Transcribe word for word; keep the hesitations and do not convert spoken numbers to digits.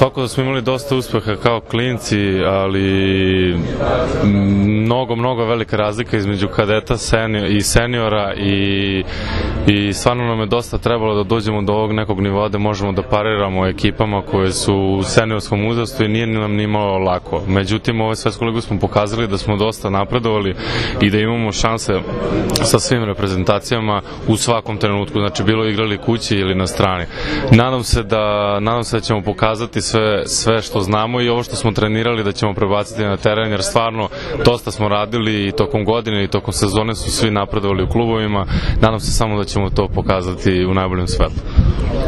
Svako da smo imali dosta uspeha kao klinci, ali mnogo, mnogo velika razlika između kadeta i seniora i, i stvarno nam je dosta trebalo da dođemo do ovog nekog nivoa da možemo da pariramo ekipama koje su u seniorskom uzrastu i nije nam ni malo lako. Međutim, ove svetsku ligu smo pokazali da smo dosta napredovali i da imamo šanse sa svim reprezentacijama u svakom trenutku, znači bilo igrali kući ili na strani. Nadam se da, nadam se da ćemo pokazati sve, sve što znamo i ovo što smo trenirali da ćemo prebaciti na teren, jer stvarno dosta smo radili i tokom godine i tokom sezone su svi napredovali u klubovima. Nadam se samo da ćemo to pokazati u najboljem svetlu.